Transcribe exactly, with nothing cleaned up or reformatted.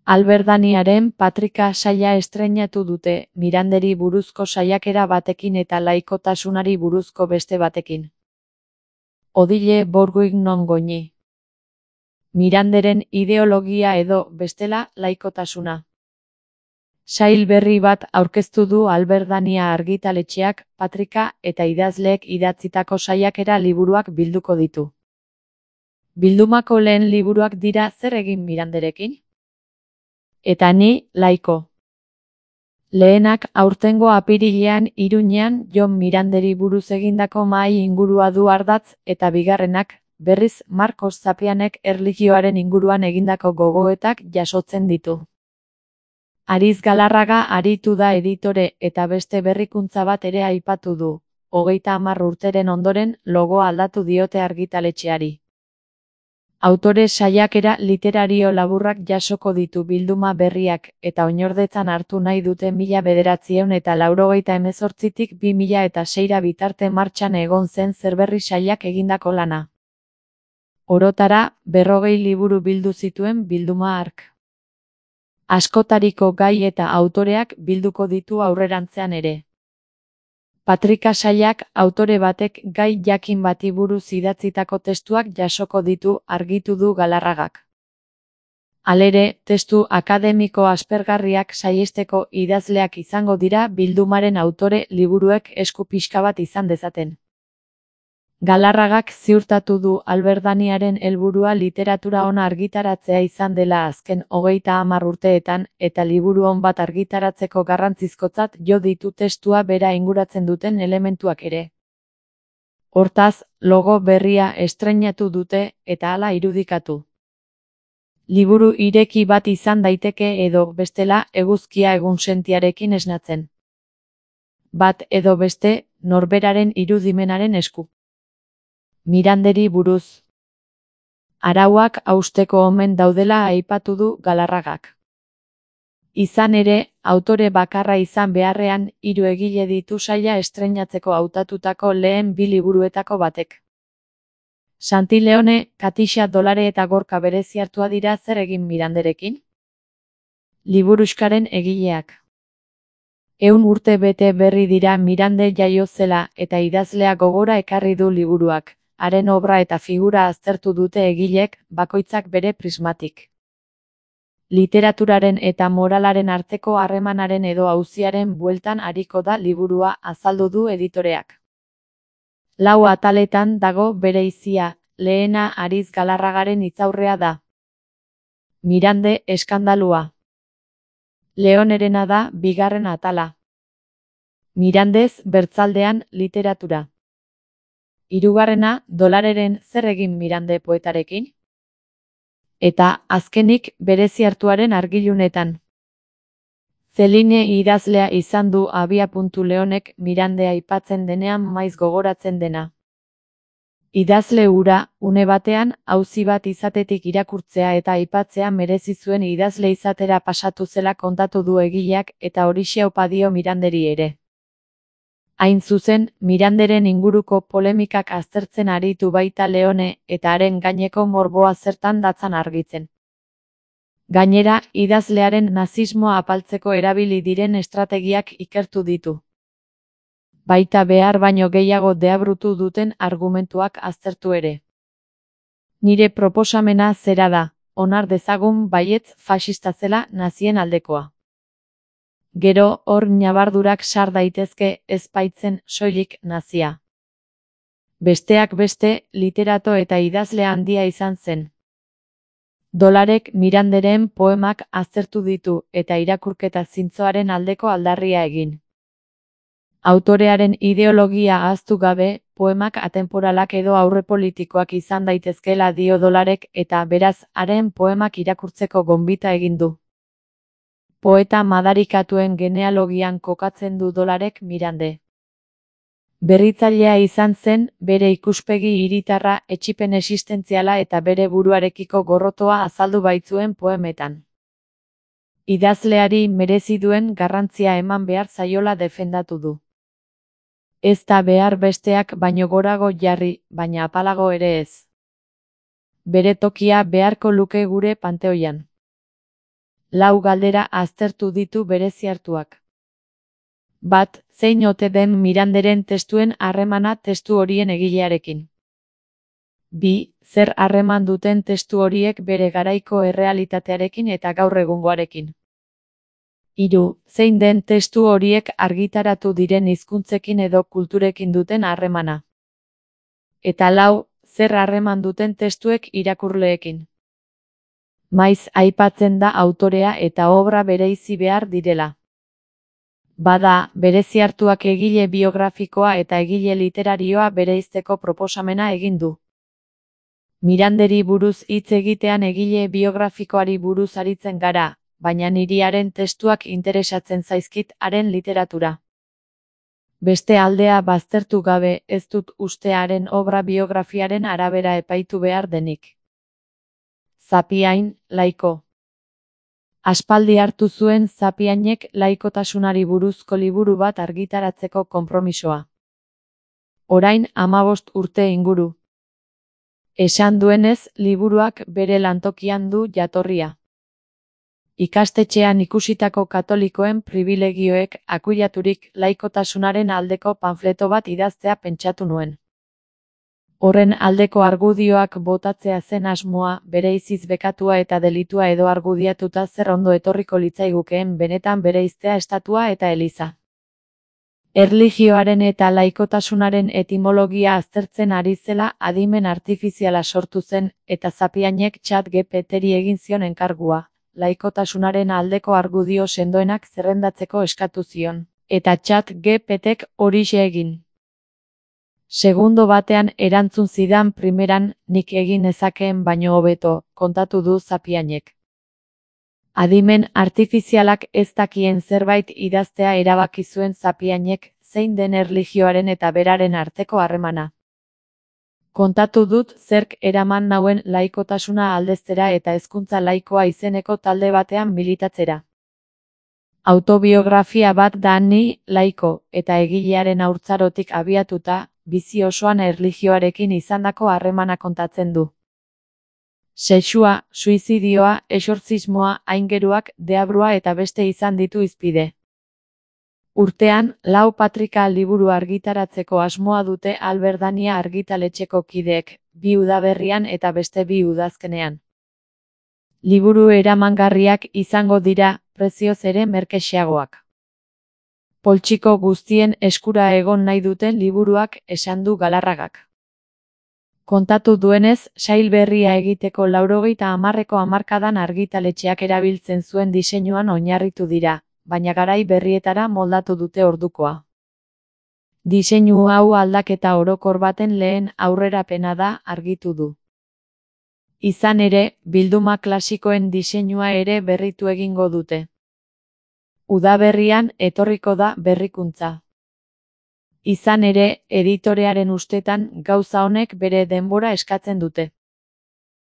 Alberdaniaren Patrika saila estreinatu dute, Miranderi buruzko saiakera batekin eta laikotasunari buruzko beste batekin. Odile Bourguignon Goñi. Miranderen ideologia edo, bestela, laikotasuna. Sail berri bat aurkeztu du Alberdania argitaletxeak, Patrika eta idazleek idatzitako saiakera liburuak bilduko ditu. Bildumako lehen liburuak dira Zer egin Miranderekin? Eta ni, laiko. Lehenak aurtengo apirilean Iruñean Jon Miranderi buruz egindako mahai ingurua du ardatz eta bigarrenak, berriz Marcos Zapianek erlijioaren inguruan egindako gogoetak jasotzen ditu. Ariz Galarraga aritu da editore eta beste berrikuntza bat ere aipatu du, hogeita hamar urteren ondoren logoa aldatu diote argitaletxeari. Autore saiakera literario laburrak jasoko ditu bilduma berriak eta oinordetzan hartu nahi dute mila bederatziehun eta laurogeita hemezortzitik bi mila eta seira bitarte martxan egon zen Zerberri sailak egindako lana. Orotara, berrogei liburu bildu zituen bilduma hark. Askotariko gai eta autoreak bilduko ditu aurrerantzean ere. Patrika sailak autore batek gai jakin bati buruz idatzitako testuak jasoko ditu argitu du Galarragak. Halere, testu akademiko aspergarriak saihesteko idazleak izango dira bildumaren autore liburuek esku pixka bat izan dezaten. Galarragak ziurtatu du Alberdaniaren helburua literatura ona argitaratzea izan dela azken hogeita hamar urteetan eta liburu on bat argitaratzeko garrantzizkotzat jo ditu testua bera inguratzen duten elementuak ere. Hortaz, logo berria estreinatu dute eta hala irudikatu. Liburu ireki bat izan daiteke edo, bestela, eguzkia egunsentiarekin esnatzen. Bat edo beste, norberaren irudimenaren esku. Miranderi buruz. Arauak hausteko omen daudela aipatu du Galarragak. Izan ere, autore bakarra izan beharrean, hiru egile ditu saila estreinatzeko hautatutako lehen bi liburuetako batek. Santi Leone, Katixa Dolare eta Gorka Bereziartua dira Zer egin Miranderekin? Liburuxkaren egileak. Ehun urte bete berri dira Mirande jaio zela eta idazlea gogora ekarri du liburuak. Haren obra eta figura aztertu dute egilek, bakoitzak bere prismatik. Literaturaren eta moralaren arteko harremanaren edo auziaren bueltan ariko da liburua azaldu du editoreak. Lau ataletan dago bereizia, lehena Ariz Galarragaren hitzaurrea da. Mirande eskandalua. Leonerena da bigarren atala. Mirandez bertzaldean literatura. Hirugarrena, Dolareren Zer egin Mirande poetarekin? Eta, azkenik, Bereziartuaren argilunetan. Zeline idazlea izan du abiapuntu Leonek Mirande aipatzen denean maiz gogoratzen dena. Idazle hura, une batean, auzi bat izatetik irakurtzea eta aipatzea merezi zuen idazle izatera pasatu zela kontatu du egileak eta horixe opa dio Miranderi ere. Hain zuzen, Miranderen inguruko polemikak aztertzen aritu baita Leone eta haren gaineko morboa zertan datzan argitzen. Gainera, idazlearen nazismoa apaltzeko erabili diren estrategiak ikertu ditu. Baita behar baino gehiago deabrutu duten argumentuak aztertu ere. Nire proposamena zera da, onar dezagun baietz faxista zela nazien aldekoa. Gero, hor ñabardurak sar daitezke ez baitzen soilik nazia. Besteak beste, literato eta idazle handia izan zen. Dolarek Miranderen poemak aztertu ditu eta irakurketa zintzoaren aldeko aldarria egin. Autorearen ideologia ahaztu gabe, poemak atemporalak edo aurrepolitikoak izan daitezkeela dio Dolarek eta beraz haren poemak irakurtzeko gonbita egin du. Poeta madarikatuen genealogian kokatzen du Dolarek Mirande. Berritzailea izan zen, bere ikuspegi hiritarra, etsipen existentziala eta bere buruarekiko gorrotoa azaldu baitzuen poemetan. Idazleari merezi duen garrantzia eman behar zaiola defendatu du. Ez da behar besteak baino gorago jarri, baina apalago ere ez. Bere tokia beharko luke gure panteoian. Lau galdera aztertu ditu bereziartuak. Bat, zein ote den Miranderen testuen harremana testu horien egilearekin. Bi, zer harreman duten testu horiek bere garaiko errealitatearekin eta gaur egungoarekin. Hiru, zein den testu horiek argitaratu diren hizkuntzekin edo kulturekin duten harremana. Eta lau, zer harreman duten testuek irakurleekin. Maiz aipatzen da autorea eta obra bereizi behar direla. Bada, bereziartuak egile biografikoa eta egile literarioa bereizteko proposamena egin du. Miranderi buruz hitz egitean egile biografikoari buruz aritzen gara, baina niri haren testuak interesatzen zaizkit haren literatura. Beste aldea baztertu gabe ez dut uste haren obra biografiaren arabera epaitu behar denik. Zapiain, laiko. Aspaldi hartu zuen Zapiainek laikotasunari buruzko liburu bat argitaratzeko konpromisoa. Orain hamabost urte inguru. Esan duenez, liburuak bere lantokian du jatorria. Ikastetxean ikusitako katolikoen pribilegioek akuilaturik laikotasunaren aldeko panfleto bat idaztea pentsatu nuen. Horren aldeko argudioak botatzea zen asmoa, bereiziz bekatua eta delitua edo argudiatuta zer ondo etorriko litzaigukeen benetan bereiztea estatua eta eliza. Erlijioaren eta laikotasunaren etimologia aztertzen ari zela adimen artifiziala sortu zen eta Zapiainek Chat G P T-ri egin zion enkargua, laikotasunaren aldeko argudio sendoenak zerrendatzeko eskatu zion, eta Chat G P T-k horixe egin. Segundo batean erantzun zidan primeran, nik egin nezakeen baino hobeto, kontatu du Zapiainek. Adimen artifizialak ez dakien zerbait idaztea erabaki zuen Zapiainek, zein den erlijioaren eta beraren arteko harremana. Kontatu dut zerk eraman nauen laikotasuna aldeztera eta hezkuntza laikoa izeneko talde batean militatzera. Autobiografia bat da ni, laiko, eta egilearen haurtzarotik abiatuta, bizi osoan erlijioarekin izandako harremana kontatzen du. Sexua, suizidioa, exortzismoa, aingeruak, deabrua eta beste izan ditu hizpide. Urtean, lau patrika liburu argitaratzeko asmoa dute Alberdania argitaletxeko kideek, bi udaberrian eta beste bi udazkenean. Liburu eramangarriak izango dira, prezioz ere merkexeagoak. Poltsiko guztien eskura egon nahi duten liburuak, esan du Galarragak. Kontatu duenez, sail berria egiteko laurogeita hamarreko hamarkadan argitaletxeak erabiltzen zuen diseinuan oinarritu dira, baina garai berrietara moldatu dute ordukoa. Diseinu hau aldaketa orokor baten lehen aurrerapena da, argitu du. Izan ere, bilduma klasikoen diseinua ere berritu egingo dute. Udaberrian etorriko da berrikuntza. Izan ere, editorearen ustetan gauza honek bere denbora eskatzen dute.